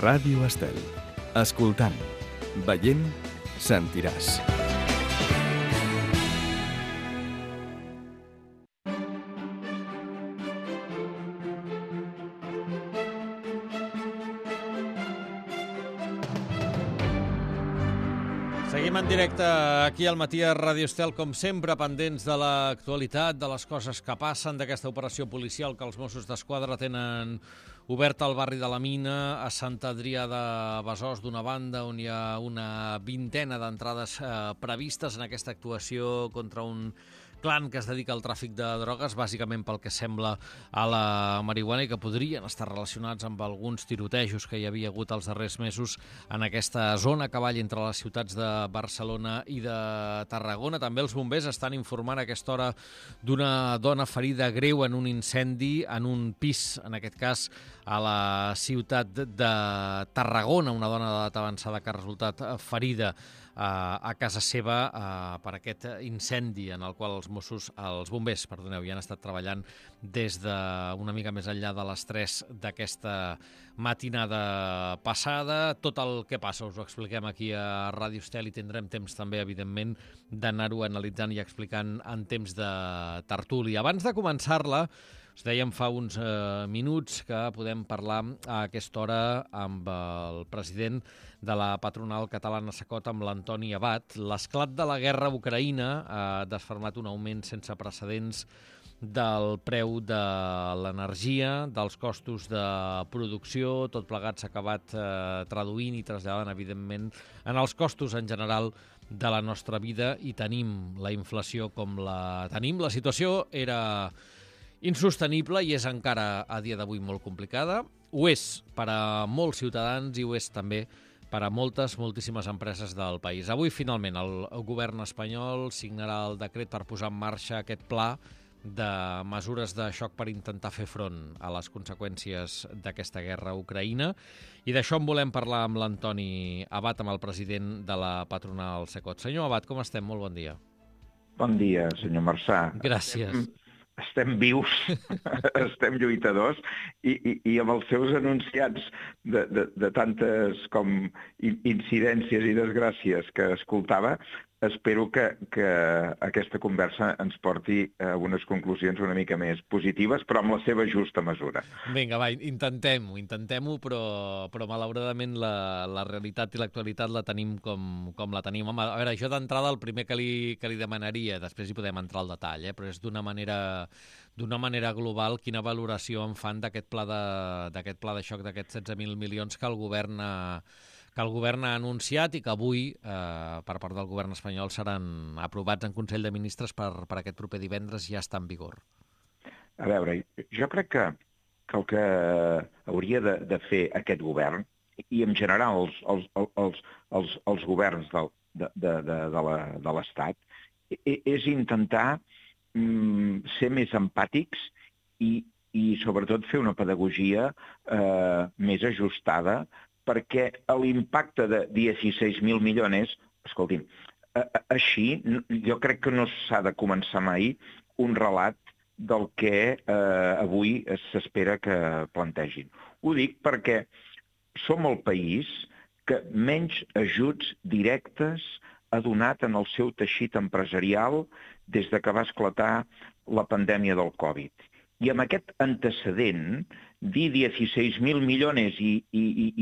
Ràdio Estel. Escoltant, veient, sentiràs. Seguim en directe aquí al matí a Ràdio Estel, com sempre, pendents de l'actualitat, de les coses que passen, d'aquesta operació policial que els Mossos d'Esquadra tenen oberta al barri de la Mina, a Sant Adrià de Besòs, d'una banda, on hi ha una vintena d'entrades previstes en aquesta actuació contra un clan que es dedica al tràfic de drogues, bàsicament pel que sembla a la marihuana, i que podrien estar relacionats amb alguns tirotejos que hi havia hagut els darrers mesos en aquesta zona a cavall entre les ciutats de Barcelona i de Tarragona. També els bombers estan informant a aquesta hora d'una dona ferida greu en un incendi en un pis, en aquest cas a la ciutat de Tarragona, una dona d'edat avançada que ha resultat ferida a casa seva per aquest incendi en el qual els bombers, ja han estat treballant des d'una mica més enllà de les 3 d'aquesta matinada passada. Tot el que passa us ho expliquem aquí a Ràdio Estel i tindrem temps també, evidentment, d'anar-ho analitzant i explicant en temps de tertúlia. Abans de començar-la, us dèiem fa uns minuts que podem parlar a aquesta hora amb el president de la patronal catalana SACOT, amb l'Antoni Abat. L'esclat de la guerra a Ucraïna ha desfermat un augment sense precedents del preu de l'energia, dels costos de producció. Tot plegat s'ha acabat traduint i traslladant, evidentment, en els costos en general de la nostra vida, i tenim la inflació com la tenim. La situació era insostenible i és encara a dia d'avui molt complicada. Ho és per a molts ciutadans i ho és també per a moltíssimes empreses del país. Avui, finalment, el govern espanyol signarà el decret per posar en marxa aquest pla de mesures de xoc per intentar fer front a les conseqüències d'aquesta guerra a Ucraïna. I d'això en volem parlar amb l'Antoni Abat, amb el president de la patronal SACOT. Senyor Abat, com estem? Molt bon dia. Bon dia, senyor Marçà. Gràcies. Estem vius, estem lluitadors, i amb els seus enunciats de tantes com incidències i desgràcies que escoltava, espero que aquesta conversa ens porti a unes conclusions una mica més positives, però amb la seva justa mesura. Vinga, va, intentem-ho, però malauradament la realitat i l'actualitat la tenim com la tenim. Home, a veure, això d'entrada el primer que li demanaria, després hi podem entrar al detall, però és d'una manera global, quina valoració en fan d'aquest pla de xoc d'aquests 16.000 milions que el govern ha anunciat i que avui, per part del govern espanyol, seran aprovats en Consell de Ministres per aquest proper divendres i ja està en vigor. A veure, jo crec que el que hauria de fer aquest govern, i en general els governs de l'Estat, és intentar ser més empàtics i sobretot fer una pedagogia més ajustada, perquè l'impacte de 16.000 milions, escolti'm, així jo crec que no s'ha de començar mai un relat del que avui s'espera que plantegin. Ho dic perquè som el país que menys ajuts directes ha donat en el seu teixit empresarial des que va esclatar la pandèmia del Covid. I amb aquest antecedent, dir 16.000 milions i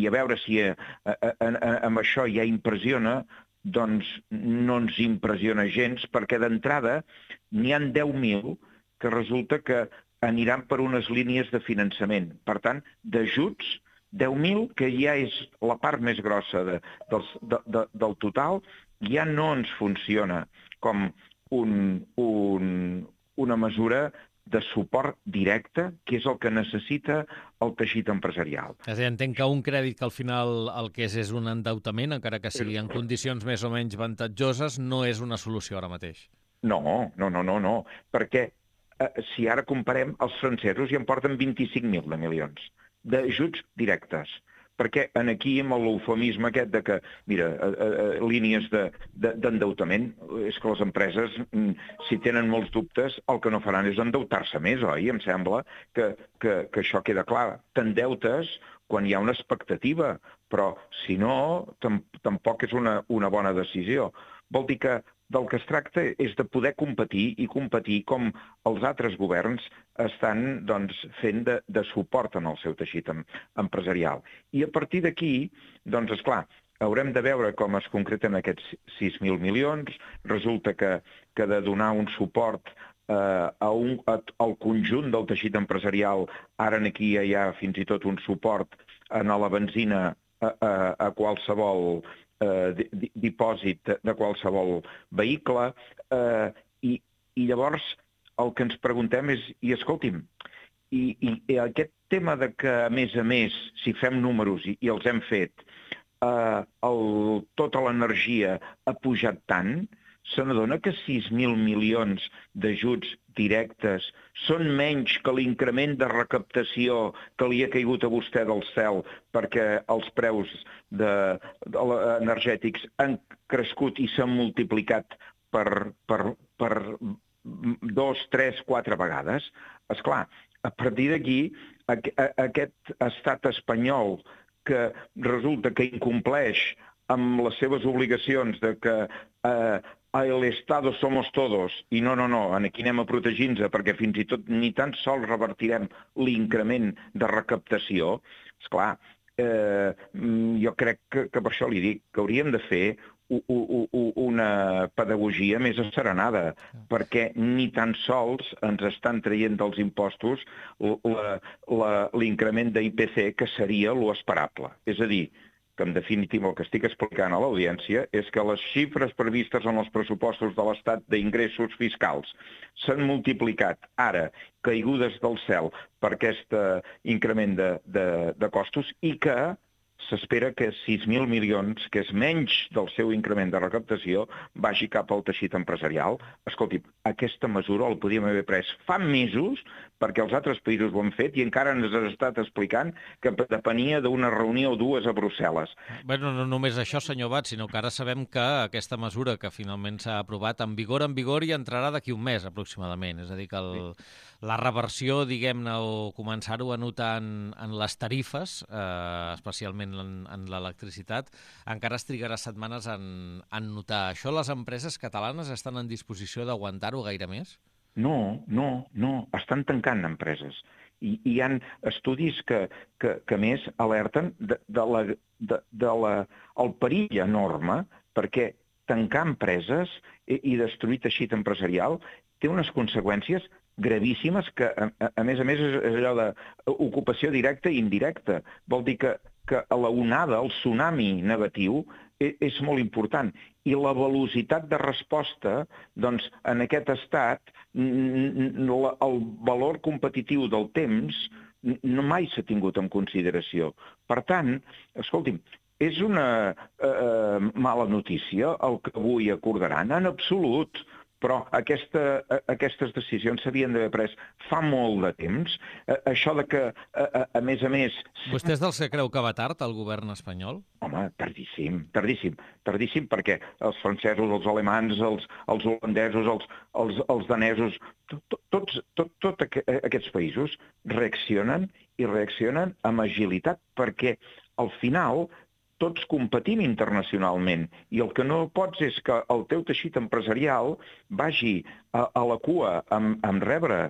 a veure si amb això ja impressiona, doncs no ens impressiona gens, perquè d'entrada n'hi ha 10.000 que resulta que aniran per unes línies de finançament. Per tant, d'ajuts, 10.000, que ja és la part més grossa del total, ja no ens funciona com una mesura de suport directe, que és el que necessita el teixit empresarial. És a dir, entenc que un crèdit que al final el que és un endeutament, encara que sigui en condicions més o menys avantatjoses, no és una solució ara mateix. No, perquè si ara comparem, els francesos ja en porten 25.000 de milions d'ajuts directes. perquè aquí amb l'eufemisme aquest de que, mira, línies d'endeutament, és que les empreses, si tenen molts dubtes, el que no faran és endeutar-se més, oi? Em sembla que això queda clar. T'endeutes quan hi ha una expectativa, però si no, tampoc és una bona decisió. Vol dir que del que es tracta és de poder competir i competir com els altres governs estan fent de suport en el seu teixit empresarial. I a partir d'aquí, doncs, esclar, haurem de veure com es concreten aquests 6.000 milions. Resulta que de donar un suport al conjunt del teixit empresarial, ara aquí hi ha fins i tot un suport a la benzina a qualsevol dipòsit de qualsevol vehicle, i llavors el que ens preguntem és, i escolti'm, i aquest tema de que, a més, si fem números, i els hem fet, tota l'energia ha pujat tant, se n'adona que 6.000 milions d'ajuts directes són menys que l'increment de recaptació que li ha caigut a vostè del cel perquè els preus energètics han crescut i s'han multiplicat per 2, 3, 4 vegades. Esclar, a partir d'aquí, aquest estat espanyol que resulta que incompleix amb les seves obligacions de que el Estado somos todos, i no, aquí anem a protegir-nos perquè fins i tot ni tan sols revertirem l'increment de recaptació. Esclar, jo crec que per això li dic que hauríem de fer una pedagogia més asserenada, perquè ni tan sols ens estan traient dels impostos l'increment d'IPC, que seria l'esperable. És a dir, que en definitiva el que estic explicant a l'audiència és que les xifres previstes en els pressupostos de l'Estat d'ingressos fiscals s'han multiplicat ara, caigudes del cel, per aquest increment de costos, i que s'espera que 6.000 milions, que és menys del seu increment de recaptació, vagi cap al teixit empresarial. Escolti, aquesta mesura la podíem haver pres fa mesos, perquè els altres països ho han fet, i encara ens has estat explicant que depenia d'una reunió o dues a Brussel·les. Bé, no només això, senyor Bat, sinó que ara sabem que aquesta mesura que finalment s'ha aprovat en vigor i entrarà d'aquí un mes aproximadament. És a dir, que la reversió, diguem-ne, o començar-ho a notar en les tarifes, especialment en l'electricitat, encara es trigarà setmanes en notar. Això les empreses catalanes estan en disposició d'aguantar-ho gaire més? No, estan tancant empreses. I hi ha estudis que més alerten del perill enorme, perquè tancar empreses i destruir teixit empresarial té unes conseqüències gravíssimes que, a més, és allò d'ocupació directa i indirecta. Vol dir que la onada, el tsunami negatiu, és molt important. I la velocitat de resposta, doncs, en aquest estat, el valor competitiu del temps mai s'ha tingut en consideració. Per tant, escolti'm, és una mala notícia el que avui acordaran, en absolut, però aquestes decisions s'havien d'haver pres fa molt de temps. Això de que, a més... Vostè és dels que creu que va tard, el govern espanyol? Home, tardíssim, perquè els francesos, els alemans, els holandesos, els danesos, tots aquests països reaccionen amb agilitat, perquè al final tots competim internacionalment, i el que no pots és que el teu teixit empresarial vagi a la cua amb rebre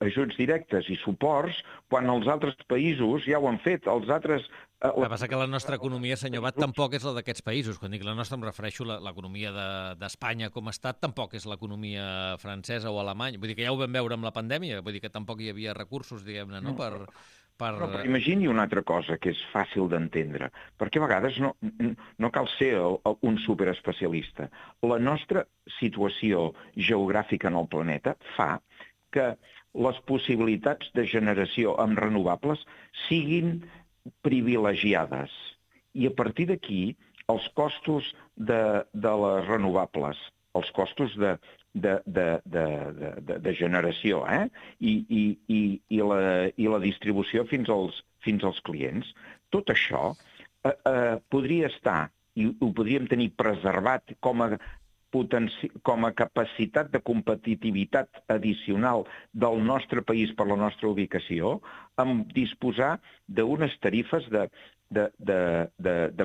ajuts directes i suports quan els altres països ja ho han fet. El que passa que la nostra economia, senyor Bat, tampoc és la d'aquests països. Quan dic la nostra em refereixo a l'economia d'Espanya com a estat, tampoc és l'economia francesa o alemanya. Vull dir que ja ho vam veure amb la pandèmia, vull dir que tampoc hi havia recursos, diguem-ne, no? Però imagini una altra cosa que és fàcil d'entendre, perquè a vegades no cal ser un superespecialista. La nostra situació geogràfica en el planeta fa que les possibilitats de generació amb renovables siguin privilegiades. I a partir d'aquí, els costos de les renovables els costos de generació, i la distribució fins als clients. Tot això podria estar, i ho podríem tenir preservat com a capacitat de competitivitat addicional del nostre país per la nostra ubicació, amb disposar d'unes tarifes de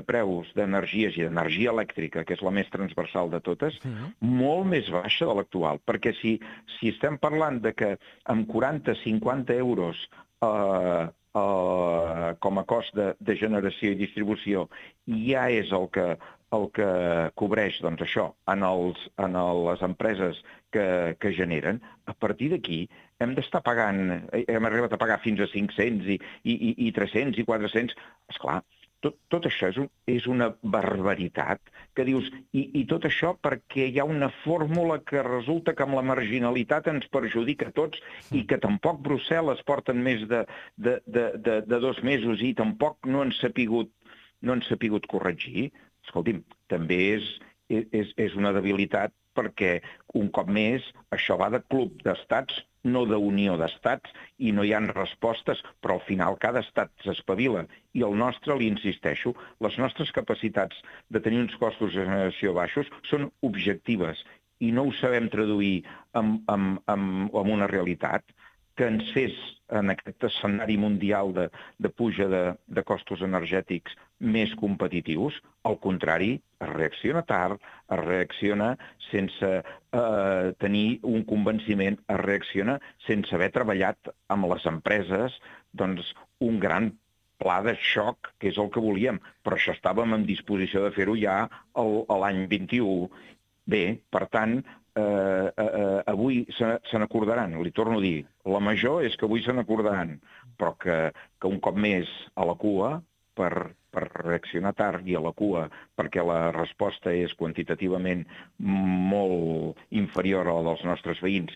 preus d'energies i d'energia elèctrica, que és la més transversal de totes, molt més baixa de l'actual. Perquè si estem parlant de que amb 40-50 euros com a cost de generació i distribució ja és el que cobreix, doncs, això en les empreses que generen, a partir d'aquí hem d'estar pagant, hem arribat a pagar fins a 500 i 300 i 400. Esclar, tot això és una barbaritat que dius, i tot això perquè hi ha una fórmula que resulta que amb la marginalitat ens perjudica a tots i que tampoc Brussel·les porten més de 2 mesos i tampoc no han sapigut corregir. Escolti'm, també és una debilitat perquè, un cop més, això va de club d'estats, no d'unió d'estats, i no hi ha respostes, però al final cada estat s'espavila. I el nostre, li insisteixo, les nostres capacitats de tenir uns costos de generació baixos són objectives i no ho sabem traduir en una realitat que ens fes en aquest escenari mundial de puja de costos energètics més competitius. Al contrari, es reacciona tard, es reacciona sense tenir un convenciment, es reacciona sense haver treballat amb les empreses doncs, un gran pla de xoc, que és el que volíem. Però això estàvem en disposició de fer-ho ja l'any 21. Bé, per tant, avui se n'acordaran, li torno a dir, la major és que avui se n'acordaran, però que un cop més a la cua, per reaccionar tard i a la cua, perquè la resposta és quantitativament molt inferior a la dels nostres veïns,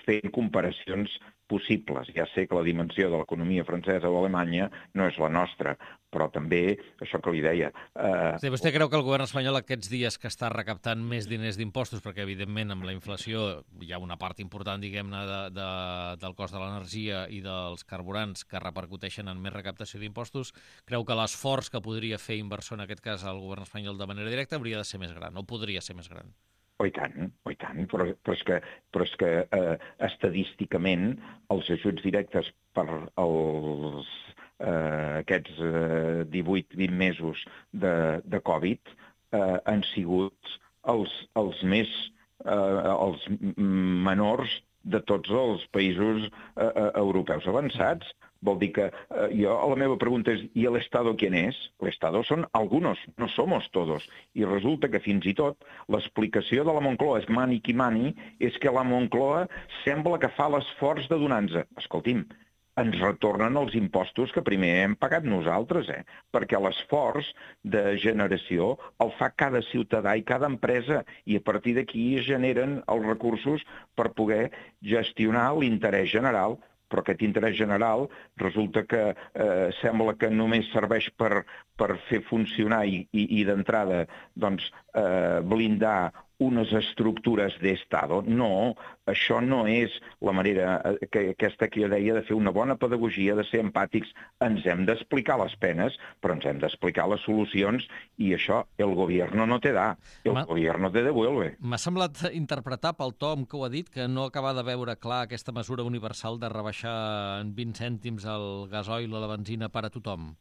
fent comparacions possibles. Ja sé que la dimensió de l'economia francesa o alemanya no és la nostra, però també, això que li deia... Sí, vostè creu que el govern espanyol aquests dies que està recaptant més diners d'impostos, perquè evidentment amb la inflació hi ha una part important, diguem-ne, del cost de l'energia i dels carburants que repercuteixen en més recaptació d'impostos, creu que l'esforç que podria fer inversor en aquest cas el govern espanyol de manera directa hauria de ser més gran, o podria ser més gran? I tant, però és que estadísticament els ajuts directes per aquests 18-20 mesos de Covid han sigut els menors de tots els països europeus avançats. Vol dir que la meva pregunta és, ¿y el Estado quién es? El Estado son algunos, no somos todos. I resulta que fins i tot l'explicació de la Moncloa és mani qui mani, és que la Moncloa sembla que fa l'esforç de donar-nos. Escolti'm, ens retornen els impostos que primer hem pagat nosaltres, perquè l'esforç de generació el fa cada ciutadà i cada empresa, i a partir d'aquí es generen els recursos per poder gestionar l'interès general. Però aquest interès general resulta que sembla que només serveix per fer funcionar i d'entrada doncs, blindar unes estructures d'Estado. No, això no és la manera aquesta que jo deia de fer una bona pedagogia, de ser empàtics. Ens hem d'explicar les penes, però ens hem d'explicar les solucions, i això el gobierno no te da, el gobierno te devuelve. M'ha semblat interpretar pel to amb què ho ha dit que no acaba de veure clar aquesta mesura universal de rebaixar en 20 cèntims el gasoil o la benzina per a tothom.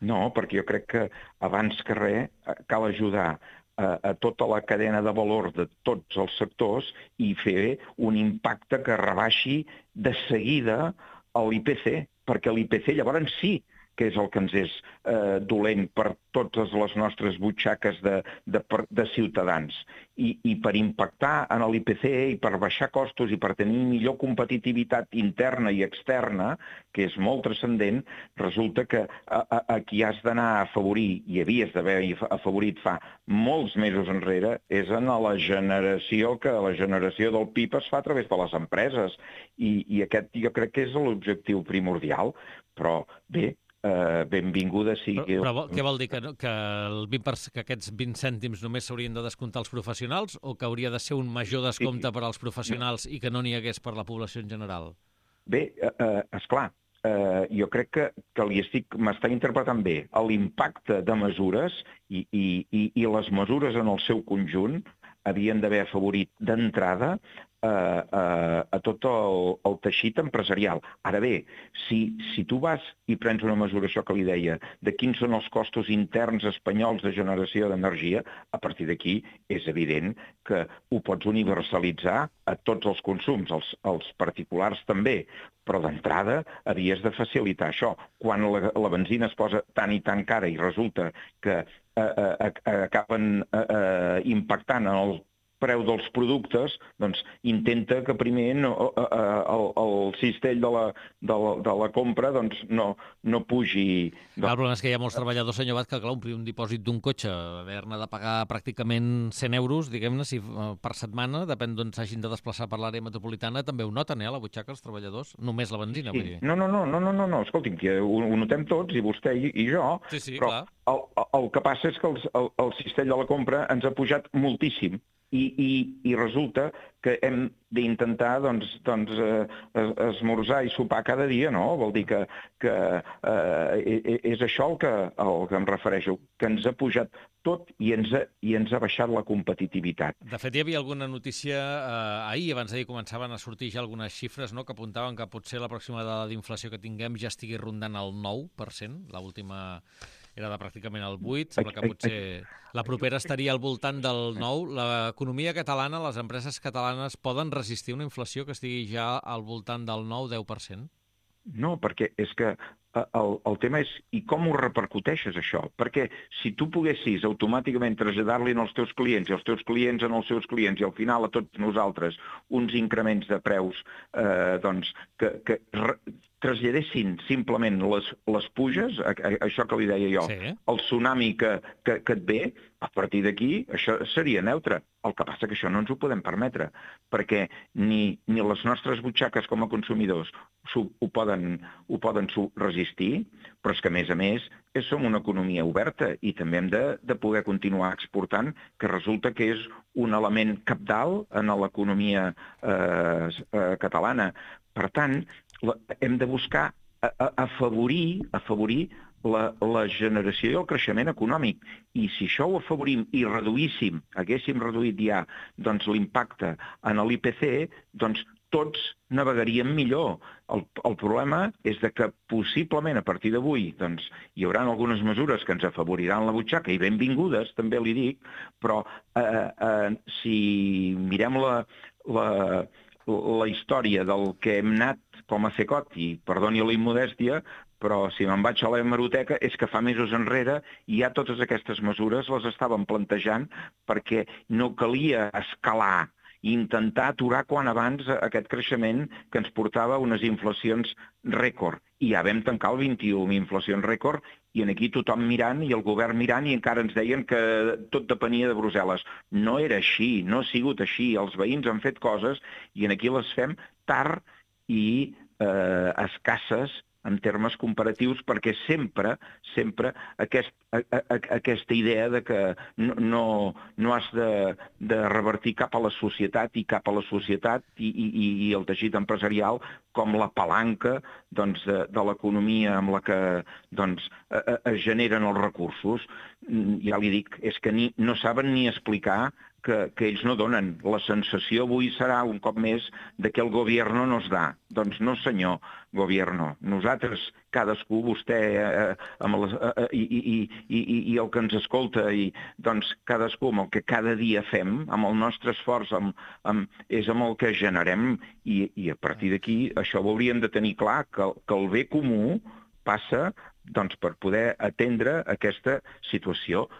No, perquè jo crec que abans que res cal ajudar a tota la cadena de valor de tots els sectors i fer un impacte que rebaixi de seguida l'IPC, perquè l'IPC llavors sí que és el que ens és dolent per totes les nostres butxaques de ciutadans. I per impactar en l'IPC i per baixar costos i per tenir millor competitivitat interna i externa, que és molt transcendent, resulta que a qui has d'anar a afavorir, i havies d'haver afavorit fa molts mesos enrere, és en la generació, que la generació del PIB es fa a través de les empreses. I aquest jo crec que és l'objectiu primordial. Però bé, benvinguda sigui... Però què vol dir? Que aquests 20 cèntims només s'haurien de descomptar els professionals o que hauria de ser un major descompte per als professionals i que no n'hi hagués per la població en general? Bé, esclar, jo crec que m'està interpretant bé l'impacte de mesures i les mesures en el seu conjunt havien d'haver afavorit d'entrada a tot el teixit empresarial. Ara bé, si tu vas i prens una mesura, això que li deia, de quins són els costos interns espanyols de generació d'energia, a partir d'aquí és evident que ho pots universalitzar a tots els consums, els particulars també, però d'entrada havies de facilitar això. Quan la benzina es posa tan i tan cara i resulta que acaben impactant en el preu dels productes, doncs intenta que primer el cistell de la compra doncs no pugi... El problema és que hi ha molts treballadors, senyor Abad, que clar, omplir un dipòsit d'un cotxe, haver-ne de pagar pràcticament 100 euros, diguem-ne, per setmana, depèn d'on s'hagin de desplaçar per l'àrea metropolitana, també ho noten, a la butxaca, els treballadors, només la benzina, vull dir. No, escolti'm, que ho notem tots, i vostè i jo, però el que passa és que el cistell de la compra ens ha pujat moltíssim. I resulta que hem d'intentar esmorzar i sopar cada dia, no? Vol dir que és això el que em refereixo, que ens ha pujat tot i ens ha baixat la competitivitat. De fet, hi havia alguna notícia ahir, abans d'ahir començaven a sortir ja algunes xifres, no?, que apuntaven que potser la pròxima dada d'inflació que tinguem ja estigui rondant el 9%, l'última era de pràcticament el 8%, sembla que potser la propera estaria al voltant del 9%. L'economia catalana, les empreses catalanes poden resistir una inflació que estigui ja al voltant del 9-10%? No, perquè és que el tema és i com ho repercuteixes, això? Perquè si tu poguessis automàticament traslladar-li als teus clients i els teus clients en els seus clients i al final a tots nosaltres uns increments de preus que traslladessin simplement les puges, això que li deia jo, el tsunami que et ve, a partir d'aquí això seria neutre. El que passa que això no ens ho podem permetre, perquè ni les nostres butxaques com a consumidors ho poden resistir, però és que, a més, som una economia oberta i també hem de poder continuar exportant, que resulta que és un element cabdal en l'economia catalana. Per tant, hem de buscar afavorir la generació i el creixement econòmic. I si això ho afavorim i haguéssim reduït ja l'impacte en l'IPC, doncs tots navegaríem millor. El problema és que possiblement a partir d'avui hi haurà algunes mesures que ens afavoriran la butxaca, i benvingudes, també li dic, però si mirem la història del que hem anat com a CECOT, i perdoni la immodèstia, però si me'n vaig a l'hemeroteca és que fa mesos enrere ja totes aquestes mesures les estàvem plantejant perquè no calia escalar i intentar aturar quan abans aquest creixement que ens portava a unes inflacions rècord. I ja vam tancar el 21 amb inflacions rècord i aquí tothom mirant i el govern mirant i encara ens deien que tot depenia de Brussel·les. No era així, no ha sigut així. Els veïns han fet coses i aquí les fem tard i escasses en termes comparatius, perquè sempre aquesta idea de que no has de revertir cap a la societat i el teixit empresarial com la palanca de l'economia amb la que es generen els recursos. Ja li dic, és que no saben ni explicar que ells no donen. La sensació avui serà, un cop més, que el gobierno nos da. Doncs no, senyor gobierno. Nosaltres, cadascú, vostè i el que ens escolta, i cadascú amb el que cada dia fem, amb el nostre esforç, és amb el que generem, i a partir d'aquí això ho hauríem de tenir clar, que el bé comú passa per poder atendre aquesta situació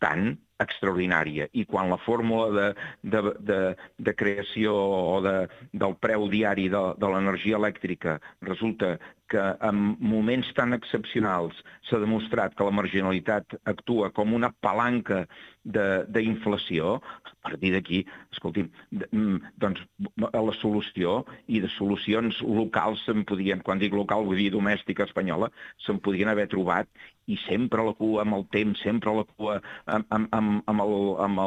tan extraordinària. I quan la fórmula de creació o del preu diari de l'energia elèctrica resulta que en moments tan excepcionals s'ha demostrat que la marginalitat actua com una palanca d'inflació, a partir d'aquí, escolti'm, doncs la solució i de solucions locals se'n podien, quan dic local vull dir domèstica espanyola, se'n podien haver trobat, i sempre la cua amb el temps, sempre la cua amb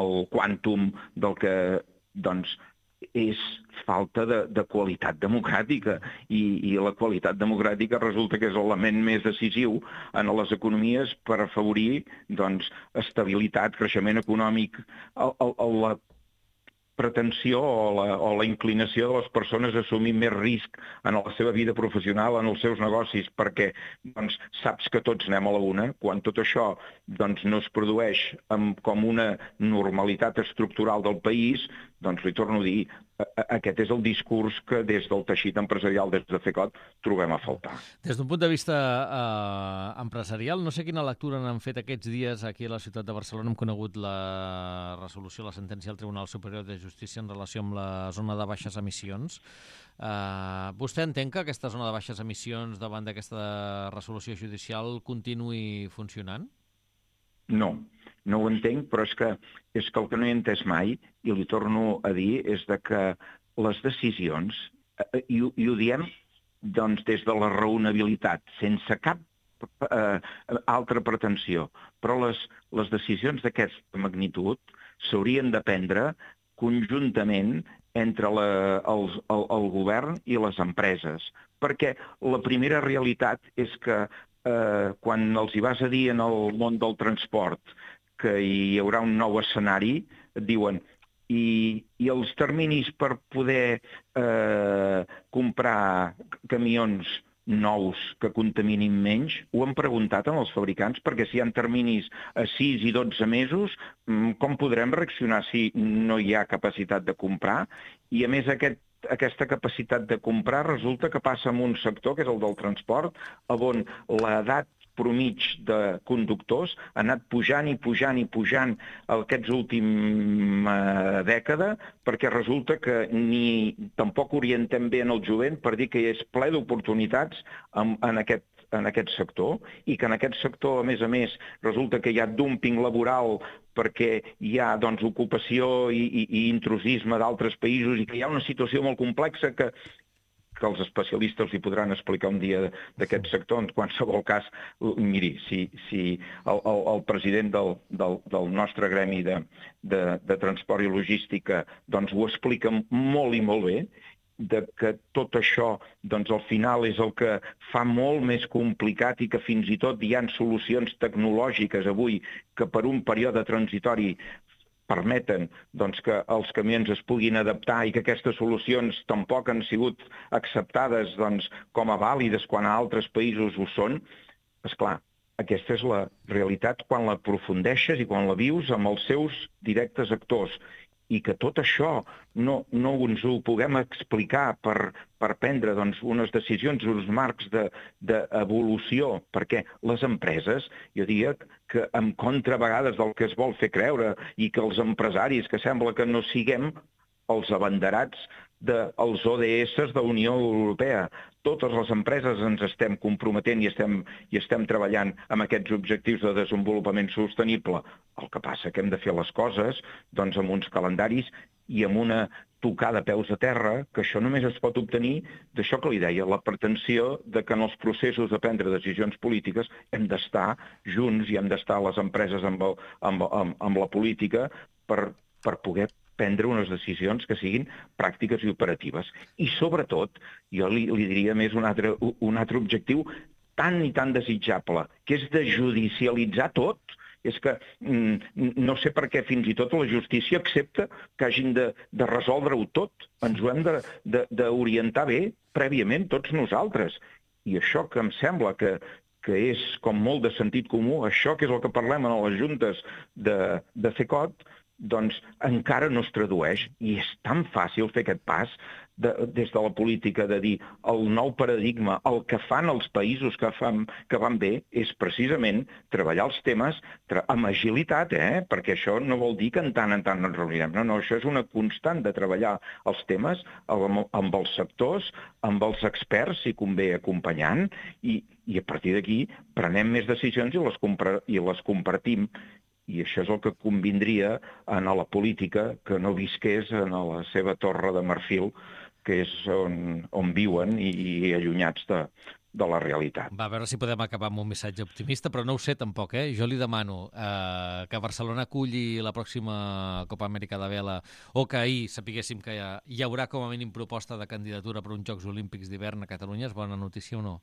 el quàntum del que, doncs, és falta de qualitat democràtica i la qualitat democràtica resulta que és l'element més decisiu en les economies per afavorir doncs, estabilitat, creixement econòmic, la pretensió o la inclinació de les persones a assumir més risc en la seva vida professional, en els seus negocis, perquè doncs, saps que tots anem a la una, quan tot això doncs, no es produeix com una normalitat estructural del país, doncs li torno a dir, aquest és el discurs que des del teixit empresarial, des de FECOT, trobem a faltar. Des d'un punt de vista empresarial, no sé quina lectura n'han fet aquests dies aquí a la ciutat de Barcelona. Hem conegut la resolució, la sentència del Tribunal Superior de Justícia en relació amb la zona de baixes emissions. Vostè entén que aquesta zona de baixes emissions davant d'aquesta resolució judicial continuï funcionant? No ho entenc, però és que el que no he entès mai, i li torno a dir, és que les decisions, i ho diem doncs, des de la raonabilitat, sense cap altra pretensió, però les decisions d'aquesta magnitud s'haurien de prendre conjuntament entre el govern i les empreses, perquè la primera realitat és que quan els hi vas a dir en el món del transport que hi haurà un nou escenari, et diuen i els terminis per poder comprar camions nous que contaminin menys, ho han preguntat als fabricants, perquè si hi ha terminis a 6 i 12 mesos, com podrem reaccionar si no hi ha capacitat de comprar? I a més aquesta capacitat de comprar resulta que passa en un sector, que és el del transport, on l'edat promig de conductors ha anat pujant i pujant i pujant aquests última dècada, perquè resulta que tampoc orientem bé en el jovent per dir que és ple d'oportunitats en aquest sector, i que en aquest sector, a més, resulta que hi ha dúmping laboral perquè hi ha doncs, ocupació i intrusisme d'altres països i que hi ha una situació molt complexa que els especialistes li podran explicar un dia d'aquest sector. En qualsevol cas, miri, si el president del nostre gremi de transport i logística doncs, ho explica molt i molt bé, que tot això doncs, al final és el que fa molt més complicat i que fins i tot hi ha solucions tecnològiques avui que per un període transitori permeten doncs, que els camions es puguin adaptar i que aquestes solucions tampoc han sigut acceptades doncs, com a vàlides quan a altres països ho són. Esclar, aquesta és la realitat quan la aprofundeixes i quan la vius amb els seus directes actors. I que tot això no ens ho puguem explicar per prendre doncs, unes decisions, uns marcs d'evolució, perquè les empreses, jo diria que en contra a vegades del que es vol fer creure i que els empresaris, que sembla que no siguem els abanderats dels ODS de la Unió Europea. Totes les empreses ens estem comprometent i estem treballant amb aquests objectius de desenvolupament sostenible. El que passa que hem de fer les coses doncs, amb uns calendaris i amb una tocada a peus a terra, que això només es pot obtenir d'això que li deia, la pretensió de que en els processos de prendre decisions polítiques hem d'estar junts i hem d'estar les empreses amb la política per poder prendre unes decisions que siguin pràctiques i operatives. I sobretot, jo li diria més un altre objectiu tan i tan desitjable, que és de judicialitzar tot. És que no sé per què fins i tot la justícia accepta que hagin de resoldre-ho tot. Ens ho hem d'orientar bé prèviament tots nosaltres. I això que em sembla que és com molt de sentit comú, això que és el que parlem en les juntes de FECOT, doncs encara no es tradueix, i és tan fàcil fer aquest pas des de la política de dir el nou paradigma, el que fan els països que van bé és precisament treballar els temes amb agilitat, perquè això no vol dir que en tant ens reunirem. No, això és una constant de treballar els temes amb els sectors, amb els experts, si convé, acompanyant, i a partir d'aquí prenem més decisions i les compartim. I això és el que convindria a la política, que no visqués en la seva torre de marfil, que és on viuen i allunyats de la realitat. Va, a veure si podem acabar amb un missatge optimista, però no ho sé tampoc, Jo li demano que Barcelona aculli la pròxima Copa Amèrica de Vela, o que ahir sapiguéssim que hi haurà com a mínim proposta de candidatura per uns Jocs Olímpics d'hivern a Catalunya. És bona notícia o no?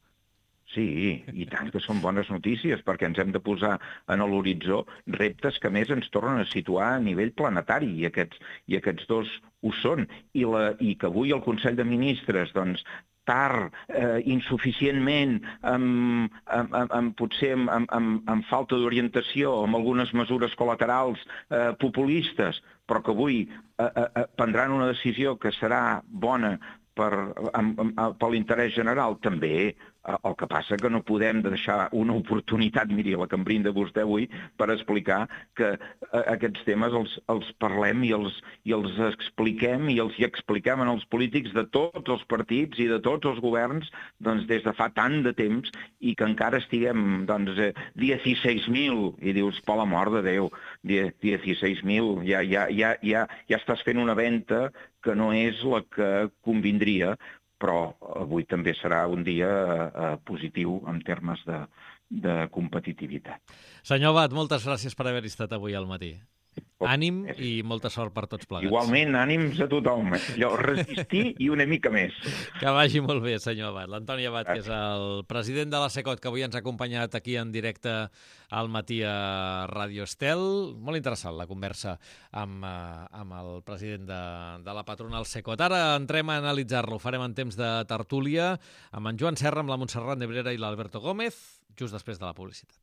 Sí, i tant que són bones notícies, perquè ens hem de posar en l'horitzó reptes que més ens tornen a situar a nivell planetari, i aquests dos ho són. I que avui el Consell de Ministres, doncs, tard, insuficientment, potser amb falta d'orientació, amb algunes mesures col·laterals populistes, però que avui prendran una decisió que serà bona per l'interès general, també. El que passa que no podem deixar una oportunitat, miri, la que em brinda vostè avui, per explicar que aquests temes els parlem i els expliquem i els hi expliquem als polítics de tots els partits i de tots els governs, doncs, des de fa tant de temps, i que encara estiguem, doncs, 16.000, i dius, per l'amor de Déu, 16.000, ja estàs fent una venda que no és la que convindria, però avui també serà un dia positiu en termes de competitivitat. Senyor Abad, moltes gràcies per haver estat avui al matí. Ànim i molta sort per tots plegats. Igualment, ànims a tothom. Resistir i una mica més. Que vagi molt bé, senyor Abad. L'Antoni Abad, que és el president de la SECOT, que avui ens ha acompanyat aquí en directe al matí a Ràdio Estel. Molt interessant la conversa amb el president de la patronal SECOT. Ara entrem a analitzar-lo. Ho farem en temps de tertúlia amb en Joan Serra, amb la Montserrat Nebrera i l'Alberto Gómez, just després de la publicitat.